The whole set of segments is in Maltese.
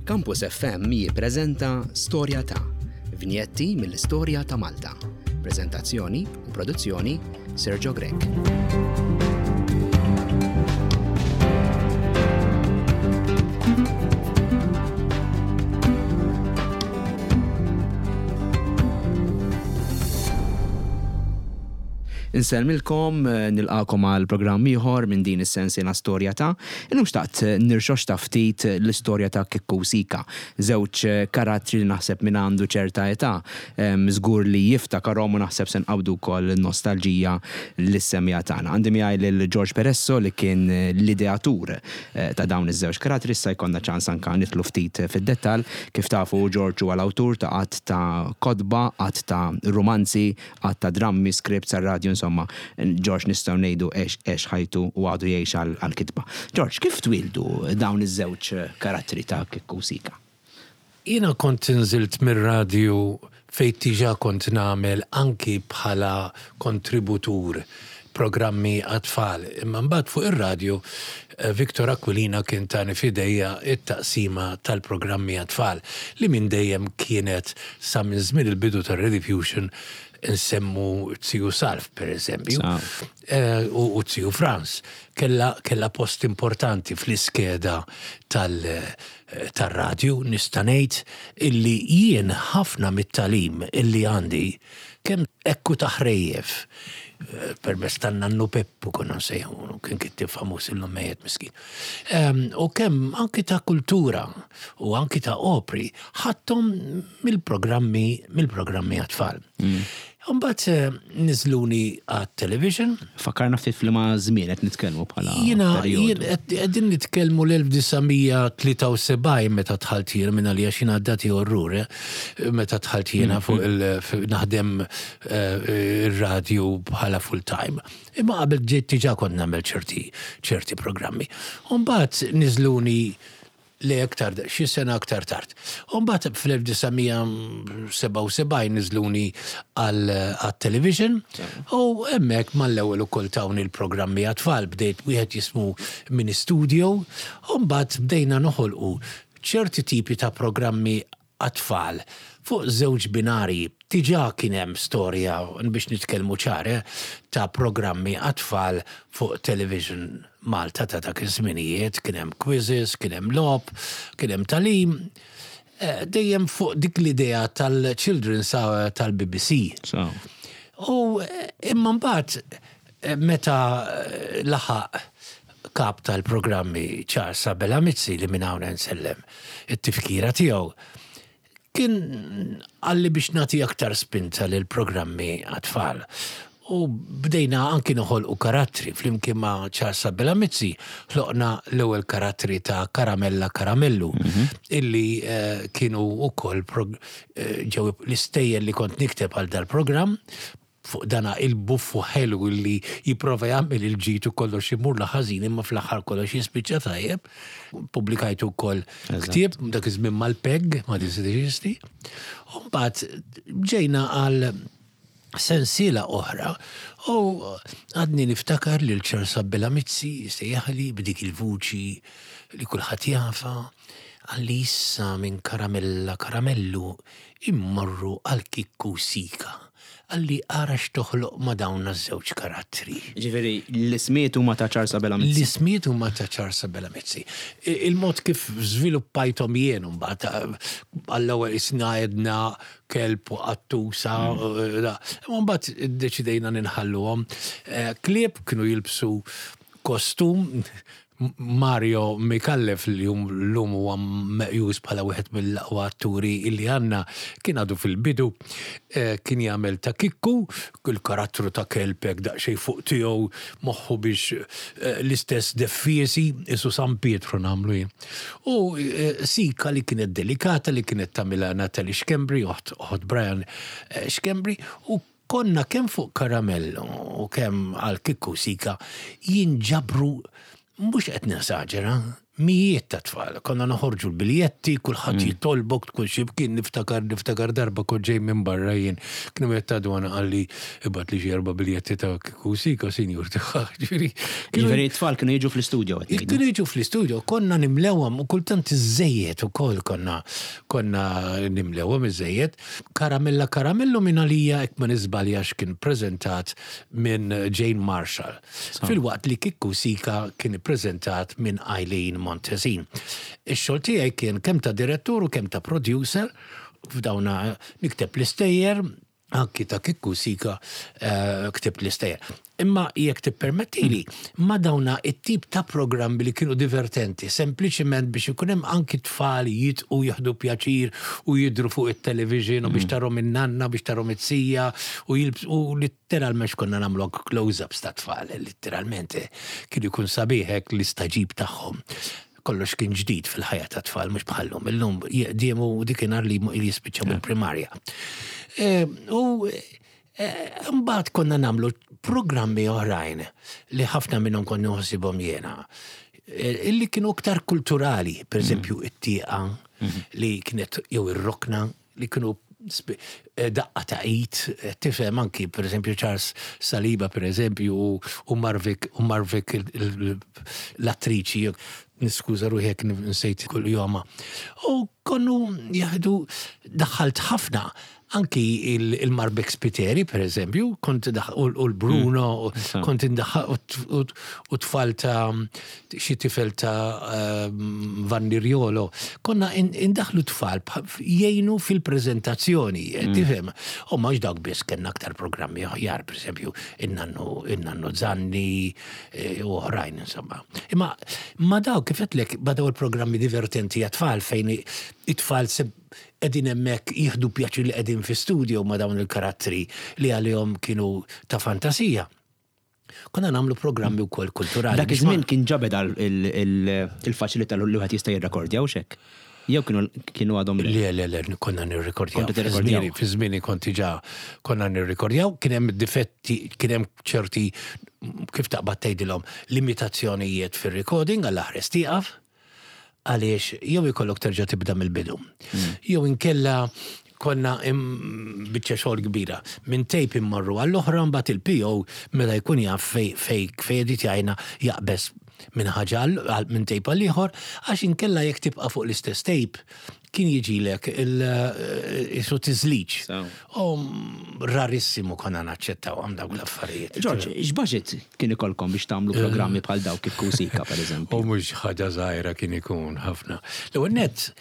Campus FM jippreżenta Storja ta' vinjetti mill-istorja ta' Malta. Preżentazzjoni u produzzjoni Sergio Grech. Insellmilkom, nilqagħkom għal programm ieħor minn din is-sensiela Storja ta'. Illum xtaqt nirxoxta ftit l-istorja ta' Kikku u Sika, żewġ karattri li naħseb min għandu ċerta età żgur li jiftakarhom u naħseb se nqabbdu wkoll nostalġija lis-semmiegħa tagħna. Għandi miegħi lil George Peresso li kien l-ideatur ta' dawn iż-żewġ karattri, issa jkollna ċans anke nidħlu ftit fid-dettall. Kif tafu George huwa l-awtur ta' għadd ta' kotba, għadd ta' rumanzi, Għadd ta' drammi, scripts għar-radju, insomma, George nistgħu ngħidu għex għex ħajtu u għadu jgħix għall-kitba. George, kif twieldu dawn iż-żewġ karattri ta' Kikku u Sika? Jiena kont inżilt mir-radju fejn diġà kont nagħmel anki bħala kontributur programmi għat-tfal. Imma mbagħad fuq ir-radju Victor Aquilina kien tani f'idejja t-taqsima tal-programmi għat-tfal li minn dejjem kienet sa minn żmien il-bidu tar-Rediffusion nsemmu Ziju Salv pereżempju u Ziju Frans kellha kellha post importanti fl-iskeda tal tar-radju nista' ngħid illi jien ħafna mit-tagħlim illi għandi Kemm hekk hu ta' ħrejjef, permezz tan-nannu Peppu konna nsejħulu, kien kittieb famuż illum mejjet miskin. U kemm anki ta' kultura u anki ta' opri ħadthom mill-programmi mill-programmi għat-tfal. Imbagħad niżluni għat-television. Fakkarna ftit f'liema żmien qed nitkellmu bħala Jiena jien qegħdin nitkellmu l-1973 meta dħalt jien minn għalija xi ngħaddati orrur, eh. Meta dħalt jiena fuq il naħdem ir-radju bħala full time. Imma qabel ġejt diġà kont nagħmel ċerti ċerti programmi. U mbagħad niżluni le aktar xi sena aktar tard. U mbagħad fl-1977 niżluni għat-television u hemmhekk mal-ewwel ukoll tawni l-programmi għat-tfal bdejt wieħed jismu Mini Studio u mbagħad bdejna noħolqu ċerti tipi ta' programmi għat-tfal fuq żewġ binarji. Diġà kien hemm storja, biex nitkellmu ċar, eh, ta' programmi għat-tfal fuq Television Malta ta' dak iż-żminijiet, kien hemm quizzes, kien hemm logħob, kien hemm tagħlim, dejjem fuq dik l-idea tal-Children's Hour tal-BBC. U imma mbagħad Meta laħaq kap tal-programmi Charles Abela Mizzi li minn hawn nsellem it-tifkira tiegħu, kien qalli biex nagħti aktar spinta lill-programmi għat-tfal. U bdejna anki noħolqu karattri flimkien ma' Charles Abela Mizzi ħloqna l-ewwel karattri ta' Karamella Karamellu illi kienu wkoll ġew l-istejjer li kont nikteb għal dal-programm Fuq dana il-buffu ħelu li jipprova jagħmel il-ġid u kollox imurlu ħażin imma fl-aħħar kollox jispiċċa tajjeb. Pubblikajtu wkoll ktieb dak iż-żmien mal-PEG, ma teżisti. U mbagħad ġejna għal sensiela oħra u għadni niftakar lil Charles Abela Mizzi jsejjaħli b'dik il-vuċi li kulħadd jafha, qalli issa minn Karamella Karamellu immorru għal Kikku Sika. Qalli ara x'toħloq ma' dawn ż-żewġ karattri. Jiġifieri l-ismijiet huma ta' Charles Abela Mizzi. L-ismijiet huma ta' Charles Abela Mizzi. Il-mod kif żviluppajthom jien imbagħad, għall-ewwel qisna għedna kelb u qattusa, imma mbagħad iddeċidejna ninħalluhom. Klieb kienu jilbsu kostum Mario Micallef li llum huwa meqjus bħala wieħed mill-aqwa atturi li għandna, kien għadu fil-bidu, kien jagħmel ta' Kikku, il-karattru ta' kelb hekk daqsxejn fuq tiegħu, moħħu biex l-istess deffiesi, qisu San Pietru nagħmlu jien. U Sika li kienet delikata, li kienet tagħmilha Natalie Schembri, oħt Brian Schembri, u Konna kemm fuq Karamello u kemm għal Kikku Sika jinġabru, mhux qed nesaġera, Mijiet ta' tfal. Konna noħorġu l-biljetti, kulħadd jitolbok tkun xi mkien niftakar niftakar darba kont ġej minn barra jien. Kien hemm wieħed ta' dwana qalli ibgħatli xi erba' biljetti ta' Kieku Sika sinjur Ġifieri Ġifieri t-tfal kienu jiġu fl-istudio qed ngħidu. Kienu jiġu fl-istudio, konna nimlewhom u kultant iżżejjed ukoll konna konna nimlewhom iżżejjed. Karamella Karamellu minn għalija hekk ma niżbaljax kien preżentat minn Jane Marshall. Filwaqt li Kikku Sika kien ippreżentat minn Eileen Montesin. Ix-xogħol tiegħi kien kemm ta' direttur u kemm ta' producer f'dawna nikteb l-istejjer, anki ta' Kikku Sika ktibt l-istejjer. Imma jekk tippermettili, ma' dawna it-tip ta' programmi li kienu divertenti, sempliċiment biex ikun hemm anki tfal jidqu jieħdu pjaċir u jidhru fuq it-television u biex tarhom in-nanna, biex tarhom it-sija u jilbsu u Litteralment x'konna nagħmlu anke close-ups ta' tfal, litteralment kien ikun sabiħ hekk l-istagħġib tagħhom. Kollox kien ġdid fil-ħajja ta' tfal mhux bħal-lum. Illum jeqdiemu dikinhar li jispiċċaw mill-primarja. U mbagħad konna nagħmlu programmi oħrajn li ħafna minnhom kont nħossibhom jiena illi kienu iktar kulturali, per eżempju it-tieqa li kienet jew ir-rokna li kienu daqqa ta' id, tifhem anki per eżempju Charles Saliba per eżempju u Marvik u Marvik l-attriċi, niskuża ruħi jekk nsejt kull joma. U konnu jaħdu daħħalt ħafna anki il-Marbek Spiteri per eżempju, kont u l-Bruno, kont indaħħal u tfal ta' xi tifel ta' Vanni Riolo, konna indaħlu tfal jgħinu fil-preżentazzjoni, tifhem. U mhux dawk biss kellna aktar programmi oħjar, pereżempju, in-nannu in-nannu Zanni u oħrajn insomma. Imma ma dawk kif għedtlek ma daw il-programmi divertenti għat-tfal fejn it-tfal qegħdin hemmhekk jieħdu pjaċir li qegħdin fi studio ma' dawn il-karattri li għalihom kienu ta' fantasija. Konna nagħmlu programmi wkoll kulturali. Dak iż-żmien kien ġa beda l-faċilità li wieħed jista' jirrekordja hux hekk? Jew kienu kienu għadhom le? Le, le, le, konna nirrekordjaw. Kontu tirrekordjaw. Fi żmieni kont diġà konna nirrekordjaw, kien hemm difetti, kien hemm ċerti kif taqbad tgħidilhom limitazzjonijiet fir-recording għall-aħres tieqaf. Għaliex jew ikollok terġa' tibda mill-bidu. Jew inkella konna biċċa xogħol kbira. Minn tape immorru għall-oħra mbagħad il-PO meta jkun jaf fej fej fej editjajna jaqbeż minn ħaġa minn tape għal ieħor għax inkella jekk tibqa' fuq l-istess tape kien jiġilek il-isu tiżliġ. U rarissimu konna naċċettawhom dawk l-affarijiet. George, x'baġit kien ikollkom biex tagħmlu programmi bħal dawk kif Kusika, pereżempju? U mhux ħaġa żgħira kien ikun ħafna. L-ewwel nett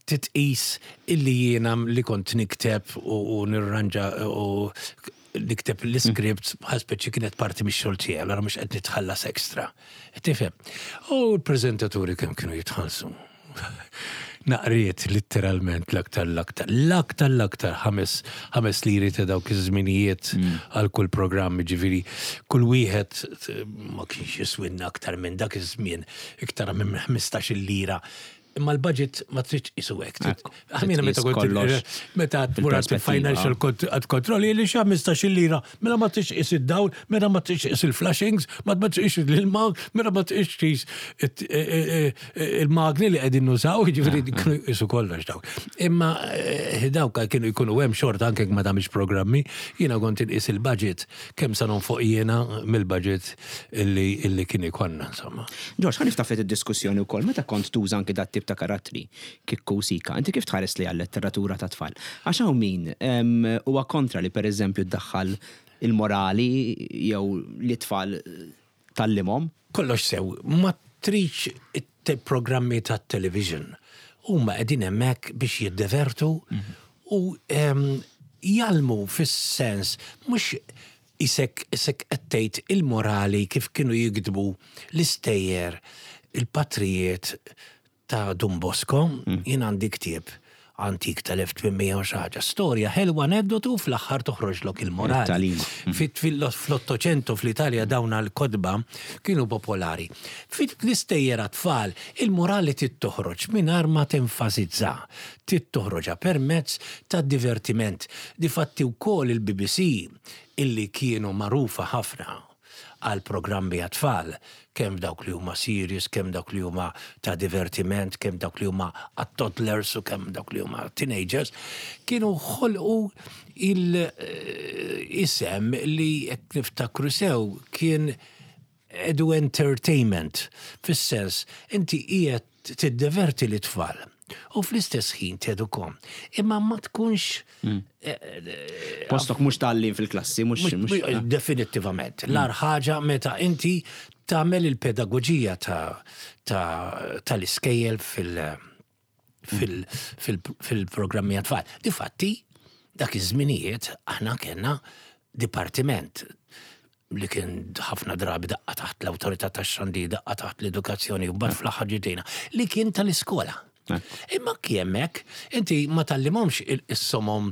titqis illi jiena li kont nikteb u nirranġa u nikteb l-iscripts bħal speċi kienet parti mix-xogħol tiegħi, allura mhux qed nitħallas extra. Tifhem? U l-preżentaturi kemm kienu jitħallsu? Naqriet litteralment l-aktar l-aktar, l-aktar l-aktar ħames liri ta' dawk iż-żminijiet għal kull programm, ġifieri kull wieħed ma kienx jiswinna aktar minn dak iż-żmien iktar minn 15-il lira. Imma l-budget ma tridx tqisu hekk. Għamina meta kont meta tmur financial control li xa 15-il lira, mela ma tridx tqis id-dawl, mela ma tridx tqis il-flushings, ma tridx l-ilma, mela ma tridx tqis il-magni li qegħdin nużaw, jiġifieri kienu jqisu kollox dawk. Imma dawk kienu jkunu hemm xorta anke jekk ma tagħmilx programmi, jiena kont inqis il-budget kemm sa nonfoq jiena mill-budget illi kien ikollna insomma. George, ħa niftaħ ftit id-diskussjoni wkoll meta kont tuża anki dat-tip ta' karattri, Kikku u Sika, inti kif tħares lejha l-letteratura tat-tfal? Għax hawn min huwa kontra li pereżempju ddaħħal il-morali jew li t-tfal tgħallimhom. Kollox sew, ma tridx programmi tat-television. Huma qegħdin hemmhekk biex jiddevertu u jgħallmu fis-sens mhux isek isek qed tgħid il-morali kif kienu jiktbu l-istejjer il-patrijiet ta' Dun Bosco, jien għandi ktieb antik tal-1800 u xi ħaġa, storja ħelwa aneddotu u fl-aħħar toħroġlok il-morali. Fl-Ottocento fl-Italja dawn l-kotba kienu popolari. Fl-istejjer għat-tfal il-morali trid toħroġ mingħajr ma tenfasizza, trid toħroġha permezz tad-divertiment. Difatti wkoll il-BBC illi kienu magħrufa ħafna. għal programmi għat-tfal, kemm dawk li huma serious, kemm dawk li huma ta' divertiment, kemm dawk li huma għat-toddlers u kemm dawk li huma teenagers, kienu ħolqu il-isem li jekk niftakru sew kien edu entertainment, fis-sens inti qiegħed tiddeverti lit-tfal u fl-istess ħin tedukhom. Imma ma tkunx hmm. eh, eh, Postok mhux tgħallim fil-klassi, mhux. Definittivament. L-ar ħaġa meta inti tagħmel il-pedagoġija tal-iskejjel fil- fil-programmi għat-tfal. Difatti, dak iż-żminijiet aħna kellna dipartiment li kien ħafna drabi daqqa taħt l-awtorità tax-xandir, daqqa taħt l-edukazzjoni u mbagħad fl-aħħar ġietejna, li kien tal-iskola. Imma anki hemmhekk inti ma tgħallimhomx is-somom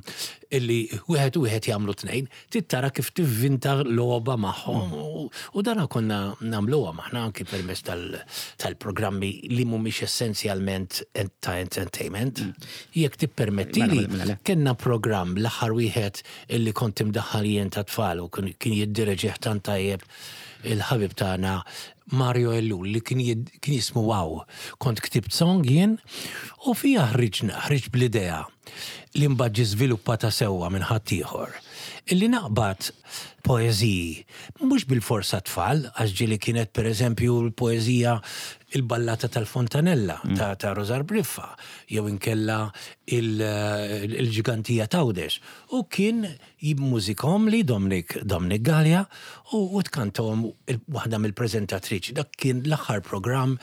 illi wieħed u wieħed jagħmlu tnejn, trid tara kif tivvinta logħba magħhom u dana konna nagħmluhom aħna anki permezz tal-programmi li mhumiex essenzjalment ta' entertainment. Jekk tippermettili, kellna programm l-aħħar wieħed illi kont imdaħħal jien tat-tfal u kien jiddireġih tant tajjeb il-ħabib tagħna Mario Ellul li kien kien jismu Wow. Kont ktibt song jien u fiha ħriġna, ħriġt bl-idea li mbagħad ġie żviluppata sewwa minn ħaddieħor, illi naqbad poeżiji, mhux bilfors għat-tfal, għax ġieli kienet pereżempju l-poeżija Il-Ballata tal-Fontanella ta' ta' Rużar Briffa jew inkella Il-Ġgantija t'Għawdex u kien Jimmużikhomli Dominic Dominic Galea u u tkantahom waħda mill-preżentatriċi. Dak kien l-aħħar programm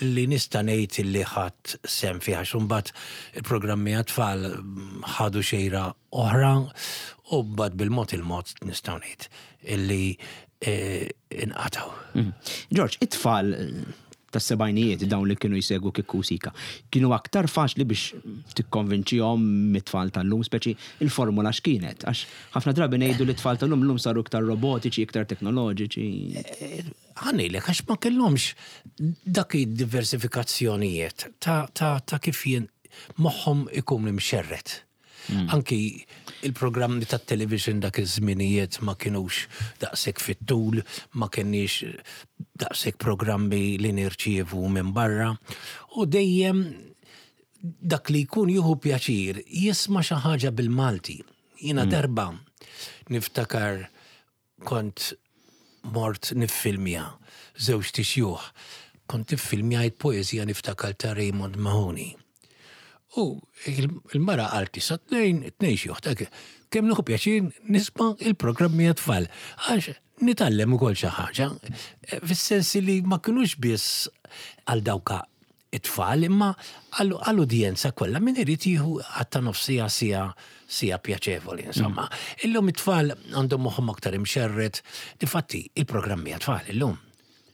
li nista' ngħid li ħadt sehem fih għax imbagħad il-programmi għat-tfal ħadu xejra oħra u mbagħad bil-mod il-mod nistgħu ngħid illi inqatgħu. George, it-tfal tas-sebgħinijiet, dawn li kienu jsegwu Kikku u Sika, kienu aktar faċli biex tikkonvinċihom mit-tfal tal-lum, speċi il-formula x'kienet? Għax ħafna drabi ngħidu li t-tfal tal-lum llum saru iktar robotiċi, iktar teknoloġiċi. Ħa ngħidlek għax ma kellhomx dak id-diversifikazzjonijiet ta' kif jien moħħhom ikun imxerred. Anki il-programmi tat-television dak iż-żminijiet ma kinux daqshekk fit-tul, ma kenniex daqshekk programmi li nirċievu minn barra u dejjem dak li jkun jieħu pjaċir jisma' xi ħaġa bil-Malti. Jiena darba niftakar Kont mort niffilmja żewġt ixjuħ. Kont iffilmjajt poeżija niftakar ta' Raymond Mahoney. U il-mara qaltli sa tnejn, tnejn xjuħ ta' kemm nieħu pjaċir nisma' il-programmi għat-tfal. Għax nitgħallem ukoll xi ħaġa. Fis-sens li ma kinux biss għal dawk it-tfal imma għall-udjenza kollha min irid jieħu għatta nofs siegħa siegħa siegħa pjaċevoli insomma. Mm. Illum it-tfal għandhom moħħhom aktar imxerred. Difatti il-programmi għat-tfal illum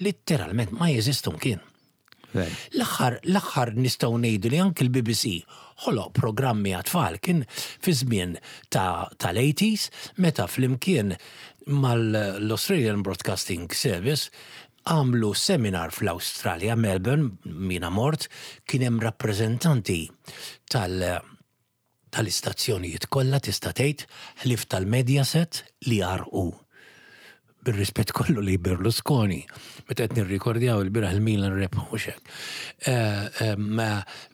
litteralment ma jeżistu mkien. L-aħħar l-aħħar nistgħu ngħidu li anki l-BBC ħoloq programmi għat-tfal kien fi żmien tal-80s meta flimkien mal-Australian Broadcasting Service Għamlu seminar fl-Awstralja, Melbourne, jiena mort, kien hemm rappreżentanti tal tal-istazzjonijiet kollha tista' tgħid, ħlief tal-Mediaset li għarrqu. Bir-rispett kollu lejn Berlusconi, meta qed nirrikordjaw ilbieraħ il-Milan rebħu mhux hekk.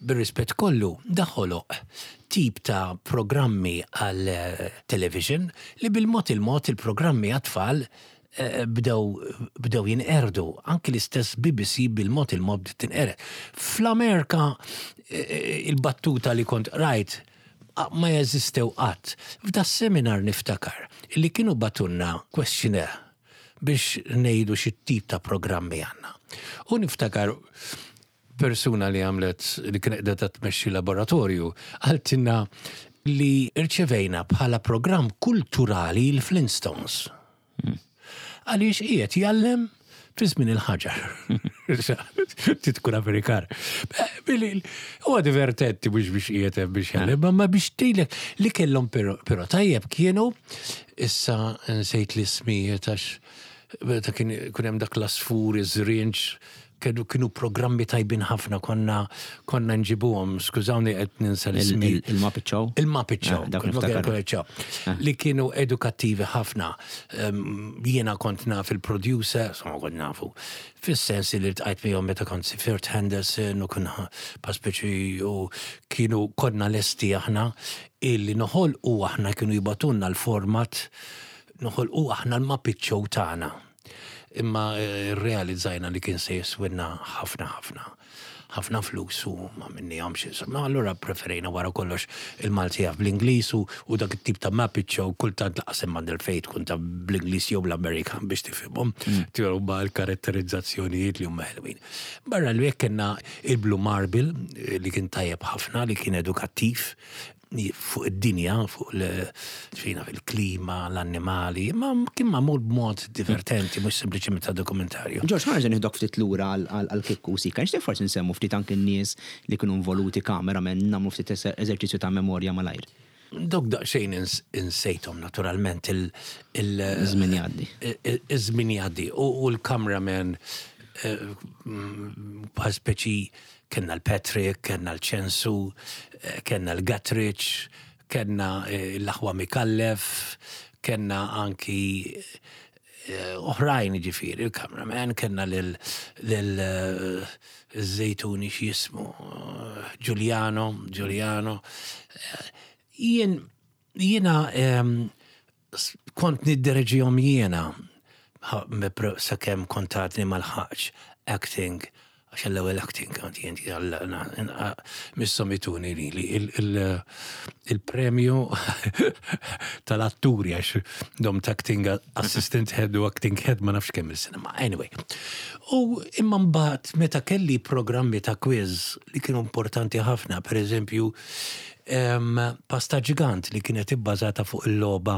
Bir-rispett kollu, da ħoloq tip ta' programmi għal television li bil-mod il-mod il-programmi għat-tfal bdew bdew jinqerdu, anki l-istess BBC bil-mod il-mod bdiet tinqered. Fl-Amerika il-battuta li kont qrajt ma jeżistew qatt. F'da seminar niftakar li kienu bagħtulna questionnaire biex ngħidu xi tip ta' programmi għandna. U niftakar persuna li għamlet li kienet qiegħda tmexxi laboratorju qaltilna li rċevejna bħala programm kulturali l-Flintstones. Għaliex qiegħed jgħallem fi żmien il-ħaġar. Trid tkun Amerikan. Huwa divertenti mhux biex qiegħed hemm biex jgħallem, ma biex tgħidlek li kellhom però tajjeb kienu issa nsejt l-ismijiet għax meta kien hemm dak l-asfur iż-żrinġ. Kienu kienu programmi tajbin ħafna konna konna nġibuhom, skużawni qed ninsa l-ismi. Il-Muppet Show? Il-Muppet Show. Ah, dak niftakar. Show. Li kienu edukattivi ħafna. Jiena kont naf il-producer, insomma kont nafu. Fis-sens li ltqajt miegħu meta kont sifirt Henderson u konna paspeċi u kienu konna lesti aħna illi noħolqu aħna kienu jibgħatulna l-format noħolqu aħna l-Muppet Show tagħna. Imma rrealizzajna li kien se jiswilna ħafna ħafna ħafna flus u ma minnihomx insomma. Allura preferejna wara kollox il-Malti jaf bl-Ingliż u, u dak it-tip ta' Muppet Show kultant laqas hemm għand il-fejn tkun ta' bl-Ingliż jew bl-Amerikan biex tifhimhom. Mm. Huma l-karatterizzazzjonijiet li huma ħelwin. Barra li hekk kellna il-Blue Marble li kien tajjeb ħafna li kien edukattiv fuq id-dinja, fuq l-fina fil-klima, l-annimali, ma kien magħmul b'mod divertenti, mhux sempliċement ta' dokumentarju. Ġorġ, ħa nerġa' nieħdok ftit lura għal Kikku u Sika. Nixtieq forsi nsemmu ftit anki n-nies li kienu involuti cameramen, nagħmlu ftit eżerċizzju ta' memorja malajr. Dawk daqsxejn insejthom naturalment il- Iż-żmien jgħaddi. Iż-żmien jgħaddi. U l-cameraman bħal speċi Kellna l-Patrick, kellna l-Ċensu, kellna l-Guttridge, kellna l-aħwa Micallef, kellna anki oħrajn jiġifieri, il-cameraman, kellna lil żejtuni x'jismu, Giuliano, Giuliano. Jien jiena kont niddereġihom jiena sakemm kont għadni ma lħaqtx acting għax l-ewwel acting kont jien misshom ituni lili il-premju tal-atturi għax domt acting assistant head u acting head ma nafx kemm il-sena ma anyway. U imma mbagħad meta kelli programmi ta' quiz li kienu importanti ħafna, pereżempju Pasta Ġigant li kienet ibbażata fuq il-logħba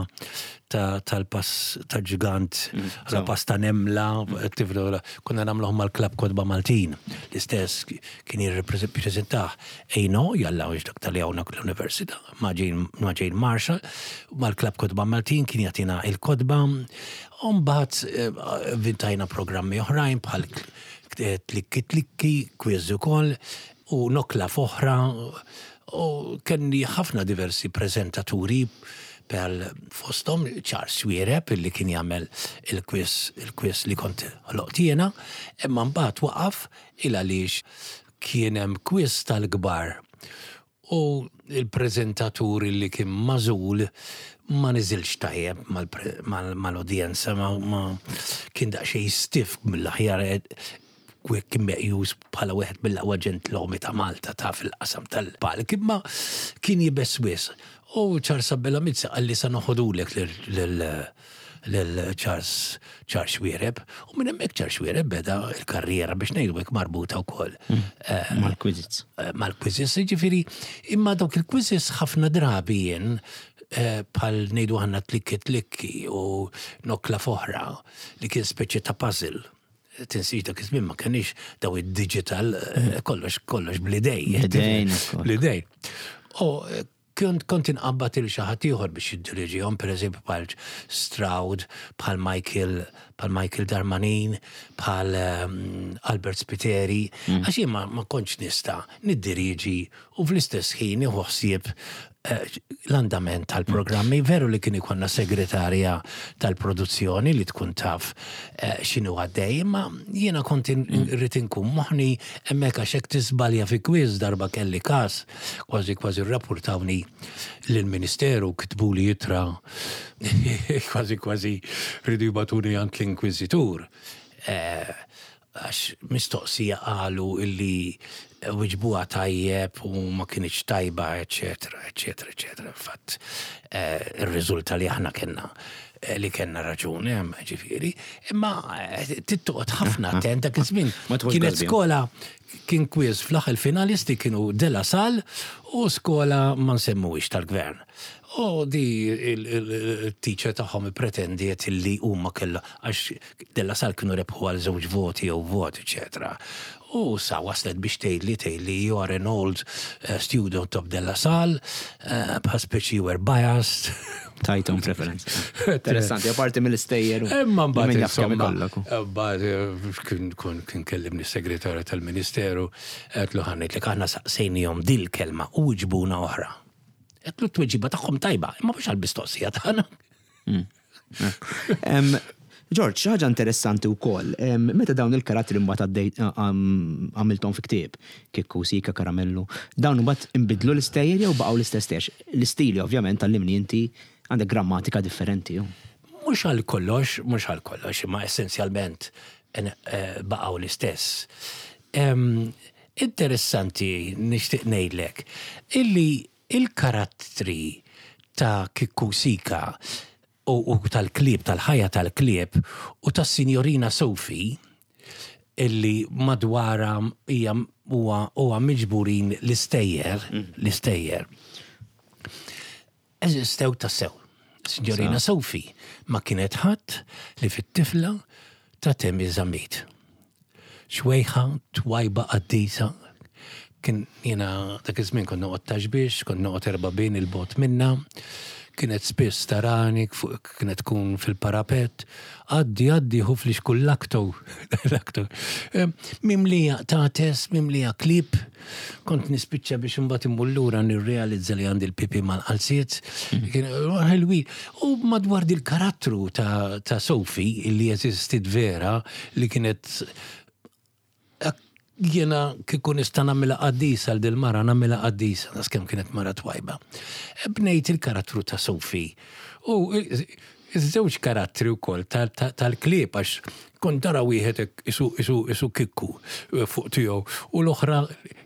tal-pass ta' ġigant, mm, la pasta nemla, mm. konna nagħmluhom mal-Klabb Kotba Maltin. L-istess kien jirrepreżentah Ejno, jalla għax dak tal hawnhekk l-Università, ma' Jane Marshall, mal-Klabb Kotba Maltin kien jagħtina il-kotba. U mbagħad eh, vintajna programmi oħrajn bħal tlikki tlikki, quiz ukoll, u nokla f'oħra u kelli ħafna diversi preżentaturi bħal fosthom Charles Xuereb illi kien jagħmel il-quiz il-quiz li kont ħloqt jiena, imma mbagħad waqaf il għaliex kien hemm quiz tal-kbar u l-preżentatur illi kien magħżul ma niżilx tajjeb mal-udjenza ma kien daqsxejn stiff mill-aħjar kien meqjus bħala wieħed mill-aqwa ġentlomi ta' Malta ta' fil-qasam tal-palk, imma kien iebes wisq. U Charles Abela Mizzi qalli sa noħodulek lil Charles Charles Xuereb. U minn hemmhekk Charles Xuereb beda l-karriera biex ngħidu hekk marbuta wkoll mm. eh, mal-quizzes. Eh, mal-quizzes, jiġifieri imma dawk il-quizzes ħafna drabi jien eh, bħal ngħidu ħanna tlikki tlikki u nokla foħra li kien speċi ta' puzzle Tinsiex dak iż-żmien ma kenniex daw id-digital eh, kollox kollox bl-idej. Bl-idej. U eh, kont kont inqabbad il xi ħadd ieħor biex jiddiriġihom, pereżempju bħal Stroud, bħal Michael, bħal Michael Darmanin, bħal ehm, Albert Spiteri, mm. għax jien ma kontx nista' niddiriġi u fl-istess ħin nieħu ħsieb l-andament tal-programmi. Veru li kien ikollna segretarja tal-produzzjoni li tkun taf eh, x'inhu għaddej, imma jiena kont mm. irrid inkun moħni hemmhekk għax hekk tiżbalja fi kwiż darba kelli każ, kważi kważi rrapportawni lill-Ministeru kitbuli ittra kważi kważi ridu jbatuni għand l-Inkwiżitur. Eh, Għax mistoqsija qalu illi wiġbuha tajjeb u ma kinitx tajba, eċċetera, eċċetera, eċċetera. Fatt eh, irriżulta li aħna kellna eh, li kellna raġun, eh, ġifieri, imma tittoqgħod ħafna attent dak iż-żmien. Kienet skola kien kwiż fl-aħħar finalisti kienu De La Salle u skola ma nsemmuhiex tal-gvern. U di il-teacher tagħhom ippretendiet illi huma kellha għax De La Salle kienu rebħu għal żewġ voti jew vot, eċetera. U sa waslet biex tgħidli tgħidli you are an old eh, student of De La Salle, eh, bħal speċi you were biased. Tajtom preferenza. Interessanti, apparti mill-istejjer. Imma mbagħad insomma, mbagħad eh, kien kien kellimni s-segretarju tal-Ministeru, għedtlu ħa ngħidlek aħna saqsejnihom dil-kelma u wiġbuna oħra. Għedtlu t-tweġiba tagħhom tajba, imma mhux għall-mistoqsija tagħna. George, xi ħaġa interessanti wkoll, meta dawn il-karattri mbagħad għaddej għamilthom fi ktieb, Kikku, Sika, Karamellu, dawn imbagħad inbidlu l-istejjer jew baqgħu l-istess stejjer? L-istili ovvjament tgħallimni inti għandek grammatika differenti. Mhux għal kollox, mhux għal kollox, imma essenzjalment eh, baqgħu l-istess. Interessanti nixtieq ngħidlek illi il-karattri ta' Kikku Sika u, u tal-klieb, tal-ħajja tal-klieb u tas-Sinjorina Sophie illi madwarha hija huwa huwa miġburin l-istejjer, l-istejjer. Eżistew tassew. Sinjorina Sophie ma kienet ħadd li fit-tifla ta' Temi Zammit. Xwejħa, twajba qaddisa, kien jiena dak iż-żmien kont noqgħod Ta' Xbiex, kont noqgħod 'Erbabien 'il bogħod minnha, kienet spiss tarani, kienet tkun fil-parapett, għaddi għaddi ħu flixkun lakto, lakto. Mimlija qtates, mimlija klieb, kont nispiċċa biex imbagħad immur lura nirrealizza li għandi l-pipi mal-qalziet, kien ħelwi. U madwar dil-karattru ta', ta Sophie, li eżistit vera, li kienet jiena kieku nista' nagħmilha qaddisa għal dil-mara nagħmilha qaddisa, nas kemm kienet mara twajba. Bnejt il-karattru ta' Sophie. U iż-żewġ karattri wkoll tal-klieb għax kont tara wieħed hekk isu isu isu kikku eh, fuq tiegħu u l-oħra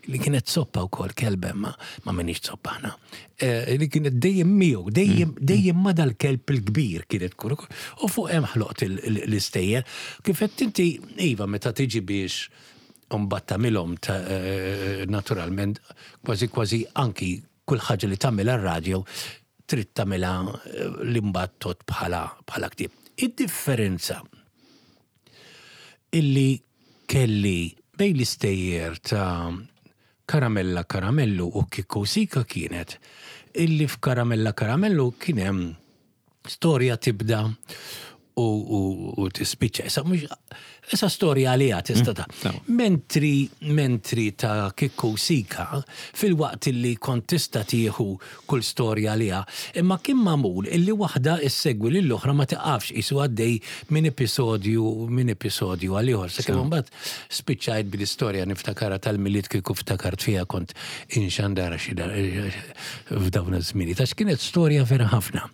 li kienet soppa wkoll kelba ma ma minix soppa aħna. Eh, li kienet dejjem miegħu, dejjem mm. dejjem ma dal-kelb il-kbir kienet tkun. U fuq hemm ħloqt l-istejjer. Kif qed inti iva meta tiġi biex mbagħad tagħmilhom eh, naturalment kważi kważi anki kull ħaġa li tagħmilha r-radio trid tagħmilha eh, li mbagħad tot bħala bħala ktieb. Id-differenza illi kelli bejn l-istejjer ta' Karamella Karamellu u Kikku Sika kienet illi f'Karamella Karamellu kien hemm storja tibda u, u, u tispiċċa. Issa mhux issa storja għaliha tista' ta' mm, Mentri mentri ta' Kikku Sika filwaqt illi kont tista' tieħu kull storja għaliha, imma kien magħmul illi waħda issegwi lill-oħra ma tiqafx qisu għaddej minn episodju minn episodju għal ieħor. Sakemm imbagħad spiċċajt bl-istorja niftakarha tal-Milied kieku ftakart fiha kont inxandarha xi f'dawn iż-żminijiet għax kienet storja vera ħafna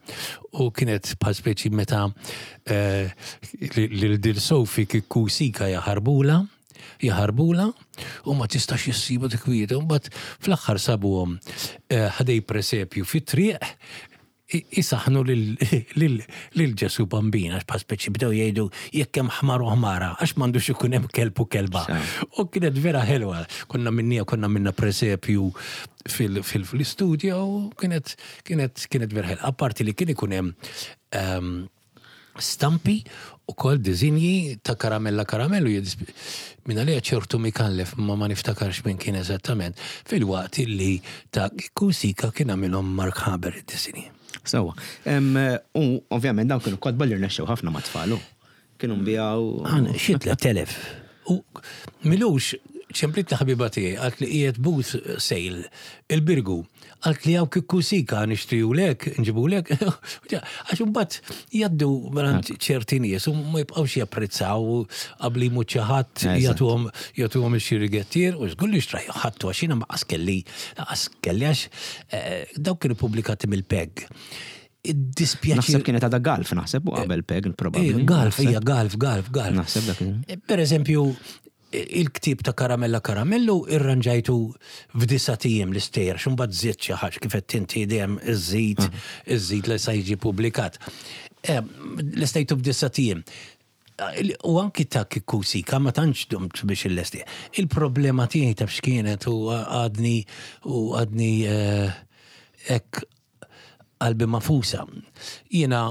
u kienet bħal speċi meta eh, lil dil Sophie kieku sika jaħarbula jaħarbulha u ma tistax issibu dik kwieta. Mbagħad fl-aħħar sabuhom eh, ħdej presepju fit-triq isaħnu lil Ġesu Bambin għax bħal speċi bdew jgħidu jekk hemm ħmar u ħmara għax m'għandux ikun hemm kelb u kelba. U kienet vera ħelwa. Konna minnija konna minna presepju fil-istudjo u kienet kienet kienet vera ħelwa. Apparti li kien ikun hemm ehm, stampi u kol dizinji ta' karamella karamellu minn għalija ċertu Mikallef ma ma niftakarx minn kien eżattament fil-waqt illi ta' Kusika kien għamilhom Mark Haber id-disinji. Sewa. U ovvjament dawn kienu kotba li rnexxew ħafna ma' tfal. Kienu nbijaw. Għan, xi 3000. U milux ċemplit li ħabiba tiegħi għalt li qiegħed booth sale il-Birgu. Għalt li hawn kikku sika nixtrijulek, nġibulek. Għax imbagħad jgħaddu mingħand ċerti nies u ma jibqgħux japprezzaw qabli jmut xi ħadd jagħtuhom jagħtuhom ix-xirigettier u żgur li xtraj ħadtu għax jiena ma qas kelli qas kelli għax eh, dawk kienu pubblikati mill-PEG. Iddispjaċi. Naħseb kienet għadha Galf, naħseb u qabel PEG probabbli. Eh, Galf, hija Galf, Galf, Galf. Naħseb dak. Eh, per eżempju, il-ktieb ta' Karamella Karamellu irranġajtu f'disa' ijiem l-istejjer, għax imbagħad żidt xi ħaġa kif qed inti dejjem iżżid, iżżid li sa jiġi pubblikat. Lestejtu f'disa' ijiem. U anki ta' Kikku Sika ma tantx domt biex illesti. Il-problema tiegħi taf x'kienet u għadni u għadni hekk. Qalbi Magħfusa. Jiena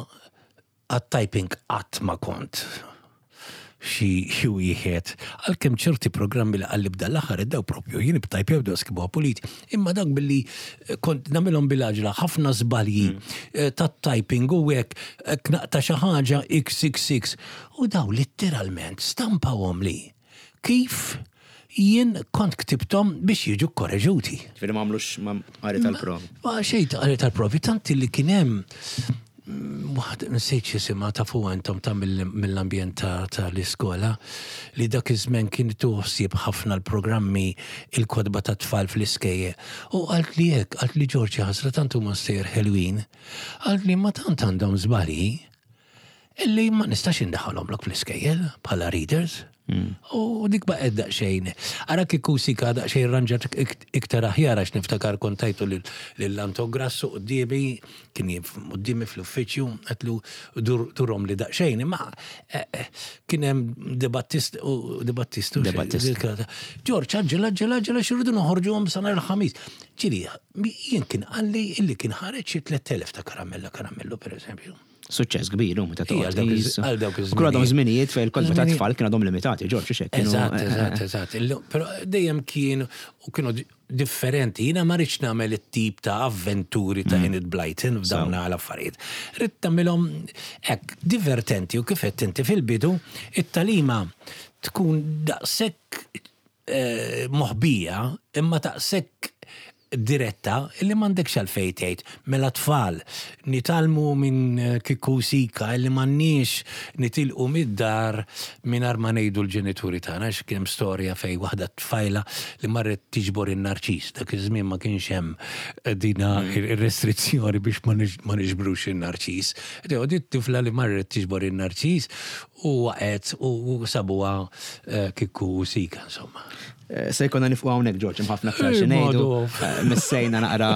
għat-typing qatt ma kont xi xi wieħed, għalkemm ċerti programmi li qalli b'dan l-aħħar iddew propju jien b'tajpjaw bdew skibuha pulit, imma dak billi kont nagħmilhom bil-għaġla ħafna żbalji tat-typing u hekk hekk naqta' xi ħaġa xxx u dawn litteralment stampawhomli kif jien kont ktibthom biex jiġu kkoreġuti. Ġifieri ma għamlux qari tal-provi. Ma xejn ta' qari tal-provi, tant li kien hemm waħda nsejt x'isimha tafuha intom ta' mill-ambjent ta' l-iskola li dak iż-żmien kien tieħu ħsieb ħafna l-programmi il-kotba tat-tfal fl-iskejjel. U qaltli hekk, qaltli Ġorġ jaħasra tant huma stejjer ħelwin. Qaltli imma tant għandhom żbalji illi ma nistax indaħħalhomlok fl-iskejjel bħala readers. U dik baqgħet daqsxejn. Ara kieku Sika daqsxejn rranġat iktar aħjar għax niftakar kont tajtu lil Anton Grasso quddiemi, kien quddiemi fl-uffiċċju, għedtlu durhomli daqsxejn, imma kien hemm De Battist u De Battistu. De Battista. Ġorġ, aġġel, aġġel, aġġel għax irridu noħorġuhom sa nhar il-Ħamis. Ġieli, jien kien qalli illi kien ħareġ xi 3000 ta' Karamella Karamellu, pereżempju. Suċċess kbir, u meta toqgħod. Għal dawk iż-żminijiet. Kienu għadhom żminijiet fejn il-kotba ta' tfal kienu għadhom limitati, Ġorġ, hux hekk? Eżatt, eh, eżatt, eh, eh. eżatt. Però dejjem kien u kienu differenti. Jiena ma rridx nagħmel it-tip ta' avventuri ta' mm. Enid Blyton f'dawn l-affarijiet. Rrid tagħmilhom hekk divertenti u kif qed inti fil-bidu, it-talima tkun daqshekk moħbija imma daqshekk diretta illi m'għandekx għalfejn tgħid mela tfal nitgħallmu minn Kikku u Sika illi m'għandniex nitilqu mid-dar mingħajr ma ngħidu l-ġenituri tagħna għax kien hemm storja fejn waħda tfajla li marret tiġbor in-narċis dak iż-żmien ma kienx hemm dina ir-restrizzjoni biex ma niġbrux in-narċis. Di t-tifla li marret tiġbor in-narċis U waqgħet u sabuha Kikku u Sika, insomma. Se jkollna nifqu hawnhekk Ġorġ, hemm ħafna aktar xi ngħidu. Missejna naqra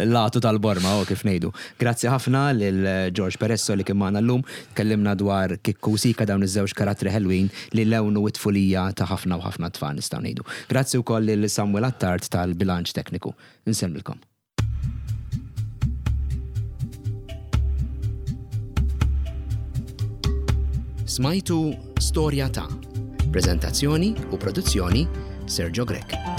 l-għatu tal-borma, oh, kif ngħidu. Grazzi ħafna lil Ġorġ Peresso li kien magħna llum. Tkellimna dwar Kikku u Sika dawn iż-żewġ karattri ħelwin li lewnu t-tfulija ta' ħafna u ħafna tfal nistgħu ngħidu. Grazzi wkoll lil Samuel Attard tal-bilanċ tekniku. Insellmilkom. Smajtu Storja ta' Prezentazzjoni u produzzjoni Sergio Grech.